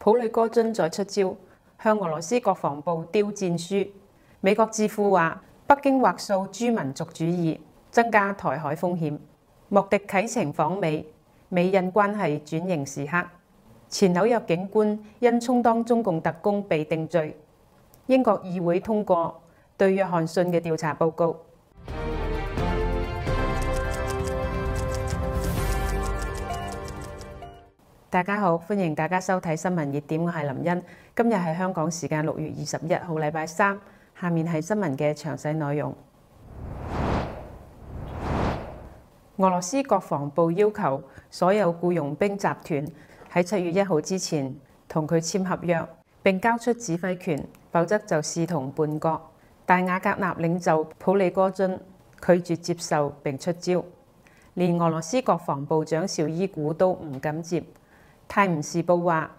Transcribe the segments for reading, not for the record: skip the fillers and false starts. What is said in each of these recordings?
普里戈津再出招，向俄羅斯國防部丟戰書。美國智庫話，北京畫塑諸民族主義，增加台海風險。莫迪啟程訪美，美印關係轉型時刻。前紐約警官因充當中共特工被定罪。英國議會通過對約翰遜嘅調查報告。大家好，歡迎大家收睇新聞熱點，我係林茵。今日係香港時間6月21號，禮拜三。下面係新聞嘅詳細內容。俄羅斯國防部要求所有僱傭兵集團喺7月1號之前同佢簽合約，並交出指揮權，否則就視同叛國。但瓦格納領袖普里戈津拒絕接受並出招，連俄羅斯國防部長紹伊古都唔敢接。泰晤士報話，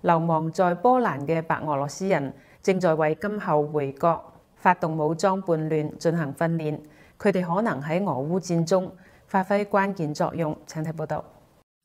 流亡在波蘭嘅白俄羅斯人正在為今後回國發動武裝叛亂進行訓練，佢哋可能喺俄烏戰中發揮關鍵作用。請睇報道。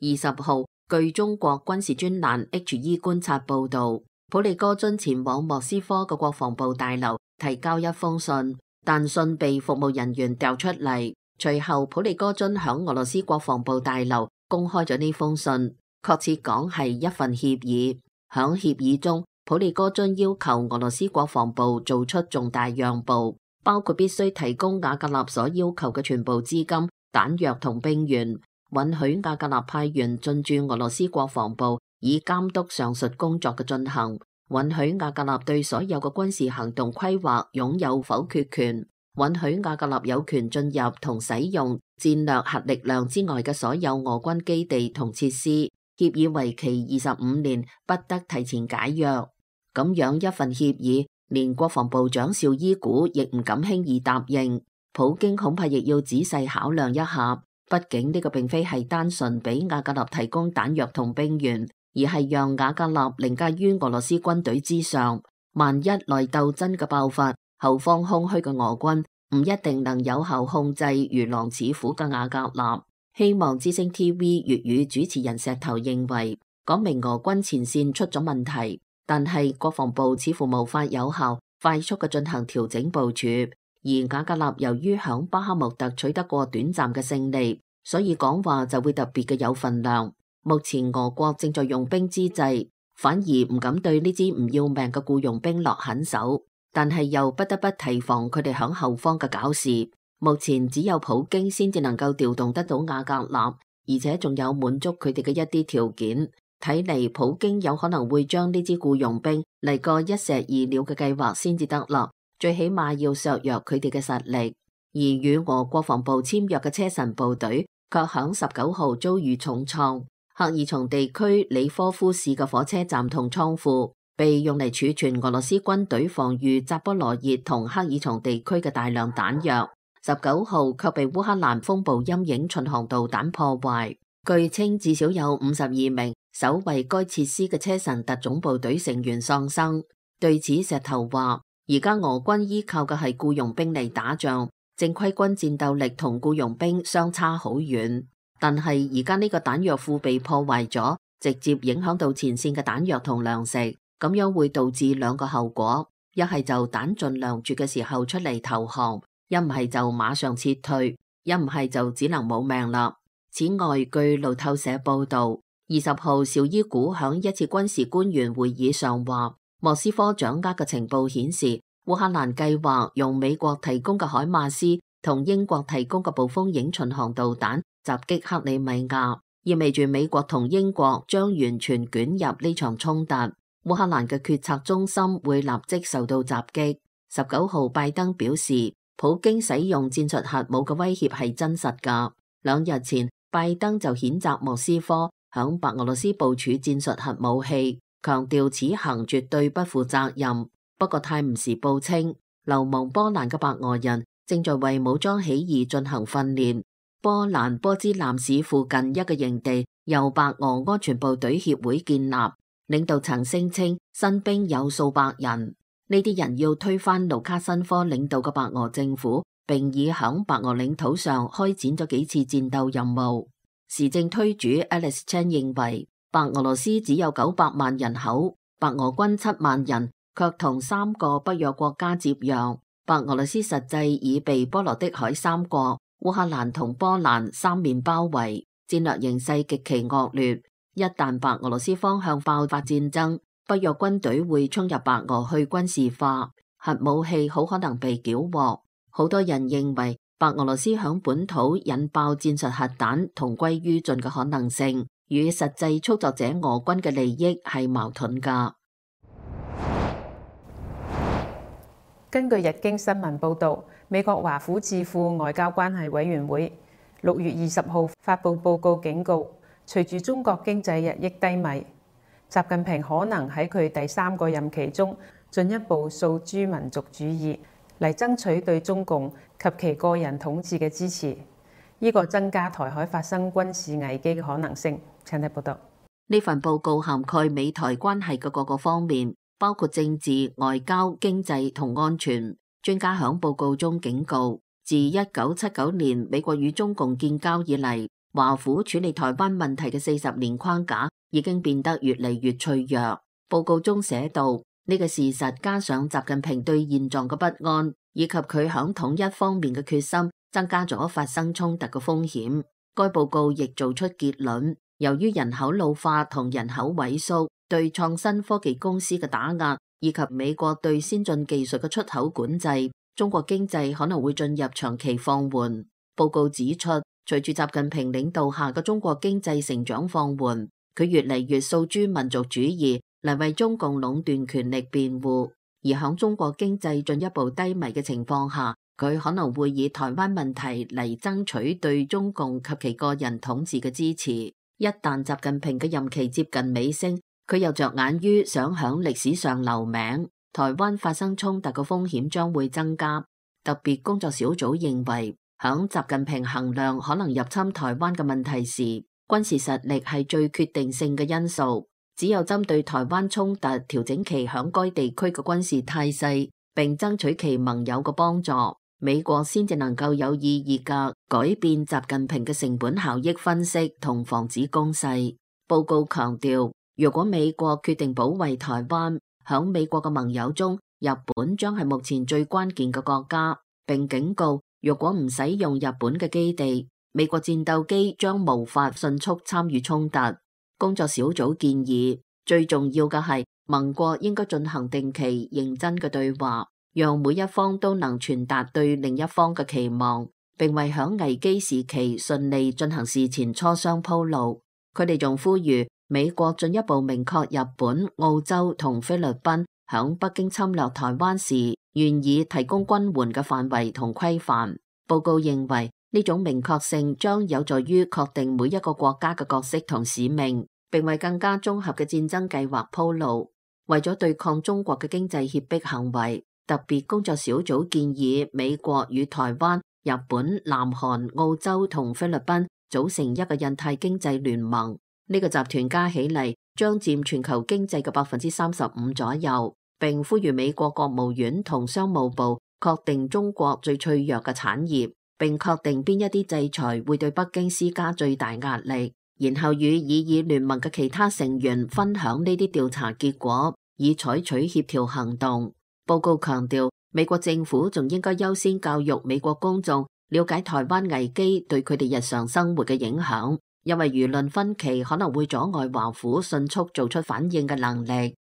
20號，據中國軍事專欄 HE 觀察報道，普里戈津前往莫斯科嘅國防部大樓提交一封信，但信被服務人員調出嚟。隨後，普里戈津響俄羅斯國防部大樓公開咗呢封信。確切講係一份協議，響協議中，普里戈津要求俄羅斯國防部做出重大讓步，包括必須提供瓦格納所要求嘅全部資金、彈藥同兵員，允許瓦格納派員進駐俄羅斯國防部，以監督上述工作嘅進行，允許瓦格納對所有嘅軍事行動規劃擁有否決權，允許瓦格納有權進入同使用戰略核力量之外嘅所有俄軍基地同設施。協議為期25年，不得提前解約。咁樣一份協議，連國防部長紹伊古亦唔敢輕易答應。普京恐怕亦要仔細考量一下，畢竟呢個並非係單純俾瓦格納提供彈藥同兵員，而係讓瓦格納凌駕於俄羅斯軍隊之上。萬一內鬥真嘅爆發，後方空虛嘅俄軍唔一定能有效控制如狼似虎嘅瓦格納。希望之聲 TV 粵語主持人石頭認為，講明俄軍前線出咗問題，但係國防部似乎無法有效、快速嘅進行調整部署。而瓦格納由於響巴克穆特取得過短暫嘅勝利，所以講話就會特別嘅有分量。目前俄國正在用兵之際，反而唔敢對呢支唔要命嘅僱傭兵落狠手，但係又不得不提防佢哋響後方嘅搞事。目前只有普京先至能夠調動得到瓦格納，而且仲有滿足佢哋嘅一啲條件。睇嚟普京有可能會將呢支僱傭兵嚟個一石二鳥嘅計劃先至得啦，最起碼要削弱佢哋嘅實力。而與俄國防部簽約嘅車臣部隊，卻響19號遭遇重創。赫爾松地區里科夫市嘅火車站同倉庫，被用嚟儲存俄羅斯軍隊防禦扎波羅熱同赫爾松地區嘅大量彈藥。19號卻被烏克蘭風暴陰影巡航導彈破壞，據稱至少有52名守衛該設施嘅車臣特種部隊成員喪生。對此，石頭話：而家俄軍依靠嘅係僱傭兵嚟打仗，正規軍戰鬥力同僱傭兵相差好遠。但係而家呢個彈藥庫被破壞咗，直接影響到前線嘅彈藥同糧食，咁樣會導致兩個後果：一係就彈盡糧絕嘅時候出嚟投降。一唔係就馬上撤退，一唔係就只能冇命啦。此外，據路透社報道，20號紹伊古響一次軍事官員會議上話，莫斯科掌握嘅情報顯示，烏克蘭計劃用美國提供嘅海馬斯同英國提供嘅暴風影巡航導彈襲擊克里米亞，意味住美國同英國將完全捲入呢場衝突。烏克蘭嘅決策中心會立即受到襲擊。19號拜登表示，普京使用戰術核武嘅威脅係真實㗎。2日前，拜登就譴責莫斯科響白俄羅斯部署戰術核武器，強調此行絕對不負責任。不過，泰晤士報稱，流亡波蘭嘅白俄人正在為武裝起義進行訓練。波蘭波茲南市附近一個營地由白俄安全部隊協會建立，領導層聲稱新兵有數百人。呢啲人要推翻盧卡申科領導嘅白俄政府，並已響白俄領土上開展咗幾次戰鬥任務。時政推主 Alice Chen 認為，白俄羅斯只有900萬人口，白俄軍7萬人，卻同3個北約國家接壤。白俄羅斯實際已被波羅的海3國、烏克蘭同波蘭三面包圍，戰略形勢極其惡劣。一旦白俄羅斯方向爆發戰爭，北約軍隊會衝入白俄去軍事化，核武器好可能被繳獲。好多人認為白俄羅斯響本土引爆戰術核彈同歸於盡嘅可能性，與實際操作者俄軍嘅利益係矛盾㗎。根據日經新聞報導，美國華府智庫外交關係委員會6月20號發布報告警告，隨住中國經濟日益低迷，習近平可能喺佢第3個任期中進一步訴諸民族主義，嚟爭取對中共及其個人統治嘅支持，呢個增加台海發生軍事危機嘅可能性。請睇報道。呢份報告涵蓋美台關係嘅各個方面，包括政治、外交、經濟同安全。專家響報告中警告，自1979年美國與中共建交以嚟，華府處理台灣問題嘅40年框架已經變得越嚟越脆弱。報告中寫道，呢個事實加上習近平對現狀嘅不安，以及佢響統一方面嘅決心，增加咗發生衝突嘅風險。該報告亦做出結論，由於人口老化同人口萎縮，對創新科技公司嘅打壓，以及美國對先進技術嘅出口管制，中國經濟可能會進入長期放緩。報告指出，隨住習近平領導下嘅中國經濟成長放緩，佢越嚟越訴諸民族主義嚟為中共壟斷權力辯護，而響中國經濟進一步低迷嘅情況下，佢可能會以台灣問題嚟爭取對中共及其個人統治嘅支持。一旦習近平嘅任期接近尾聲，佢又着眼於想響歷史上留名，台灣發生衝突嘅風險將會增加。特別工作小組認為，響習近平衡量可能入侵台灣嘅問題時，軍事實力係最決定性嘅因素。只有針對台灣衝突調整其響該地區嘅軍事態勢，並爭取其盟友嘅幫助，美國先至能夠有意義嘅改變習近平嘅成本效益分析同防止攻勢。報告強調，如果美國決定保衛台灣，響美國嘅盟友中，日本將係目前最關鍵嘅國家，並警告，如果唔使用日本嘅基地，美國戰鬥機將無法迅速參與衝突。工作小組建議，最重要嘅係盟國應該進行定期認真嘅對話，讓每一方都能傳達對另一方嘅期望，並為響危機時期順利進行事前磋商鋪路。佢哋仲呼籲美國進一步明確日本、澳洲同菲律賓響北京侵略台灣時願意提供軍援嘅範圍同規範。報告認為，呢種明確性將有助於確定每一個國家嘅角色同使命，並為更加綜合嘅戰爭計劃鋪路。為咗對抗中國嘅經濟脅迫行為，特別工作小組建議美國與台灣、日本、南韓、澳洲同菲律賓組成一個印太經濟聯盟。呢個集團加起嚟將佔全球經濟嘅35%左右，並呼籲美國國務院同商務部確定中國最脆弱嘅產業，並確定邊一啲制裁會對北京施加最大壓力，然後與擬議聯盟嘅其他成員分享呢啲調查結果，以採取協調行動。報告強調，美國政府仲應該優先教育美國公眾了解台灣危機對佢哋日常生活嘅影響，因為輿論分歧可能會阻礙華府迅速做出反應嘅能力。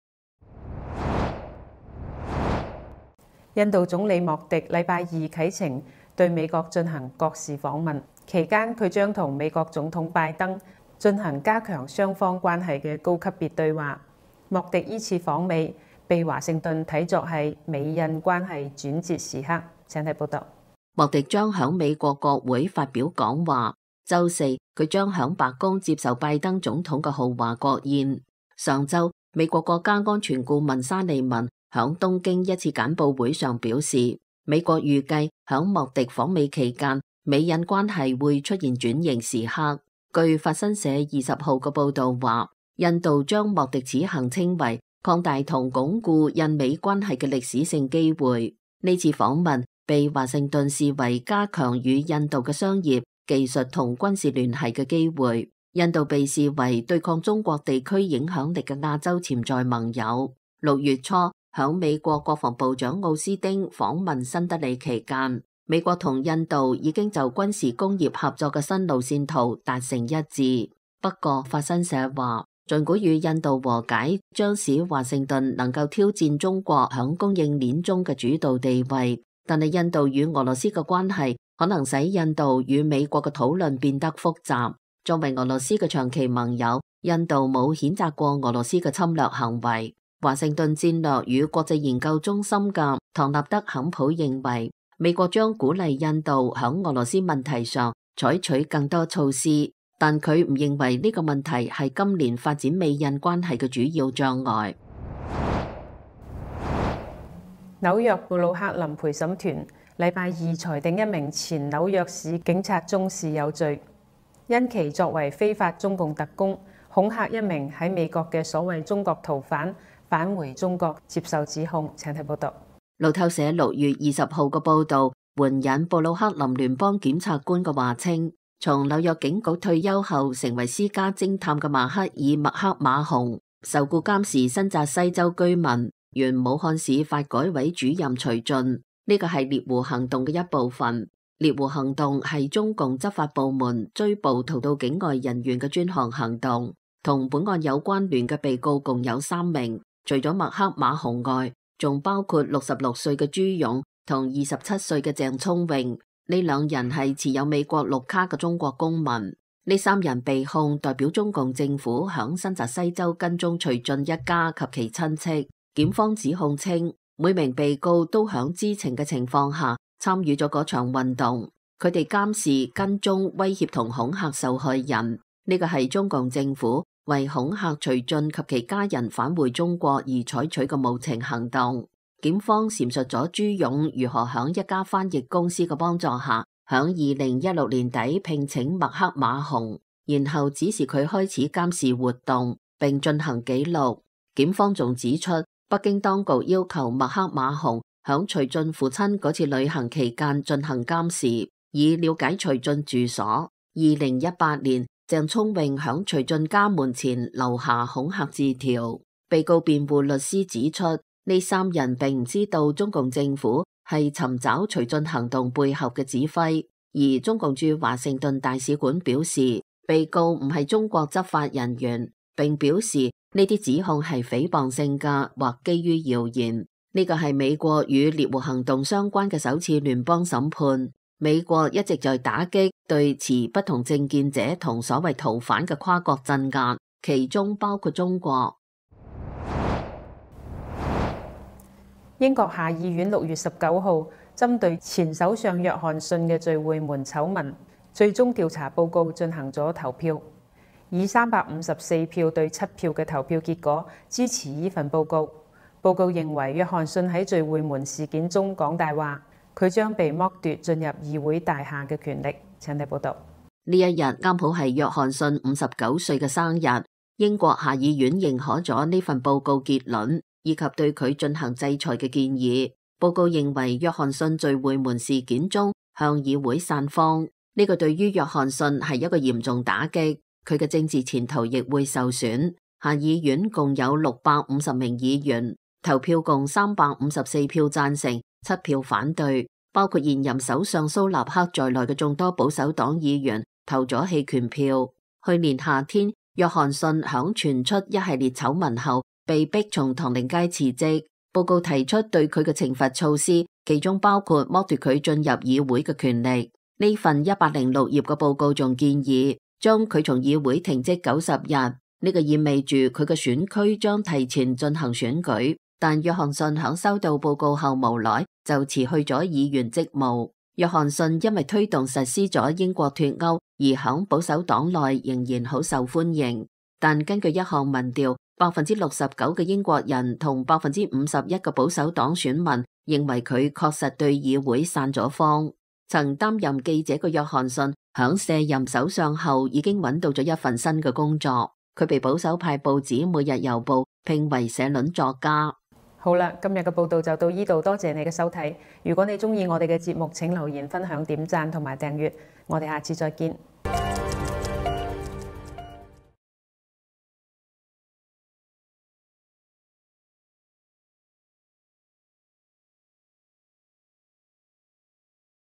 印度總理莫迪禮拜二啟程對美國進行國事訪問，期間佢將同美國總統拜登進行加強雙方關係嘅高級別對話。莫迪依次訪美，被華盛頓睇作係美印關係轉折時刻。請睇報道。莫迪將響美國國會發表講話，週四佢將響白宮接受拜登總統嘅豪華國宴。上週，美國國家安全顧問沙利文響東京一次簡報會上表示，美國預計響莫迪訪美期間，美印關係會出現轉型時刻。據法新社20號嘅報道話，印度將莫迪此行稱為擴大同鞏固印美關係嘅歷史性機會。呢次訪問被華盛頓視為加強與印度嘅商業、技術同軍事聯繫嘅機會。印度被視為對抗中國地區影響力嘅亞洲潛在盟友。6月初，響美國國防部長奧斯汀訪問新德里期間，美國同印度已經就軍事工業合作嘅新路線圖達成一致。不過，法新社話，儘管與印度和解將使華盛頓能夠挑戰中國響供應鏈中嘅主導地位，但係印度與俄羅斯嘅關係可能使印度與美國嘅討論變得複雜。作為俄羅斯嘅長期盟友，印度冇譴責過俄羅斯嘅侵略行為。華盛頓戰略與國際研究中心嘅唐納德肯普認為，美國將鼓勵印度響俄羅斯問題上採取更多措施，但佢唔認為呢個問題係今年發展美印關係嘅主要障礙。紐約布魯克林陪審團禮拜二裁定一名前紐約市警察中士有罪，因其作為非法中共特工，恐嚇一名喺美國嘅所謂中國逃犯返回中國接受指控。請睇報道。路透社6月20號嘅報導援引布魯克林聯邦檢察官嘅話稱，從紐約警局退休後成為私家偵探嘅馬克爾麥克馬洪，受僱監視新澤西州居民原武漢市發改委主任徐進。呢個係獵狐行動嘅一部分。獵狐行動係中共執法部門追捕逃到境外人員嘅專項行動。同本案有關聯嘅被告共有3名，除咗麥克馬洪外，仲包括66歲嘅朱勇同27歲嘅鄭聰穎。呢2人係持有美國綠卡嘅中國公民。呢3人被控代表中共政府響新澤西州跟蹤徐進一家及其親戚。檢方指控稱，每名被告都響知情嘅情況下參與咗嗰場運動，佢哋監視、跟蹤、威脅同恐嚇受害人。呢個係中共政府為恐嚇徐進及其家人返回中國而採取嘅無情行動。檢方闡述咗朱勇如何響一家翻譯公司嘅幫助下，響2016年底聘請麥克馬洪，然後指示佢開始監視活動並進行記錄。檢方仲指出，北京當局要求麥克馬洪響徐進父親嗰次旅行期間進行監視，以了解徐進住所。2018年，鄭聰穎響徐進家門前留下恐嚇字條。被告辯護律師指出，呢3人並唔知道中共政府係尋找徐進行動背後嘅指揮，而中共駐華盛頓大使館表示，被告唔係中國執法人員，並表示呢啲指控係誹謗性嘅或基於謠言。呢個係美國與獵狐行動相關嘅首次聯邦審判。美國一直在打擊對持不同政見者同所謂逃犯嘅跨國鎮壓，其中包括中國。英國下議院6月19號針對前首相約翰遜嘅聚會門醜聞最終調查報告進行咗投票，以354票對7票嘅投票結果支持呢份報告。報告認為約翰遜喺聚會門事件中講大話，佢將被剝奪進入議會大廈嘅權力。請睇報道。呢一日啱好係約翰遜59歲嘅生日，英國下議院認可咗呢份報告結論，以及對佢進行制裁嘅建議。報告認為約翰遜聚會門事件中向議會散謊，呢個對於約翰遜係一個嚴重打擊，佢嘅政治前途亦會受損。下議院共有650名議員，投票共354票贊成，7票反對，包括現任首相蘇納克在內嘅眾多保守黨議員投咗棄權票。去年夏天，約翰遜響傳出一系列醜聞後，被逼從唐寧街辭職。報告提出對佢嘅懲罰措施，其中包括剝奪佢進入議會嘅權力。呢份106頁嘅報告仲建議將佢從議會停職90日，呢個意味住佢嘅選區將提前進行選舉。但約翰遜響收到報告後無奈就辭去咗議員職務。約翰遜因為推動實施咗英國脫歐而響保守黨內仍然好受歡迎，但根據一項民調，69% 嘅英國人同51%嘅保守黨選民認為佢確實對議會散咗謊。曾擔任記者嘅約翰遜響卸任首相後已經揾到咗一份新嘅工作，佢被保守派報紙《每日郵報》聘為社論作家。好啦，今日嘅報道就到呢度，多謝你嘅收睇。如果你鍾意我哋嘅節目，請留言、分享、點讚同埋訂閱。我哋下次再見。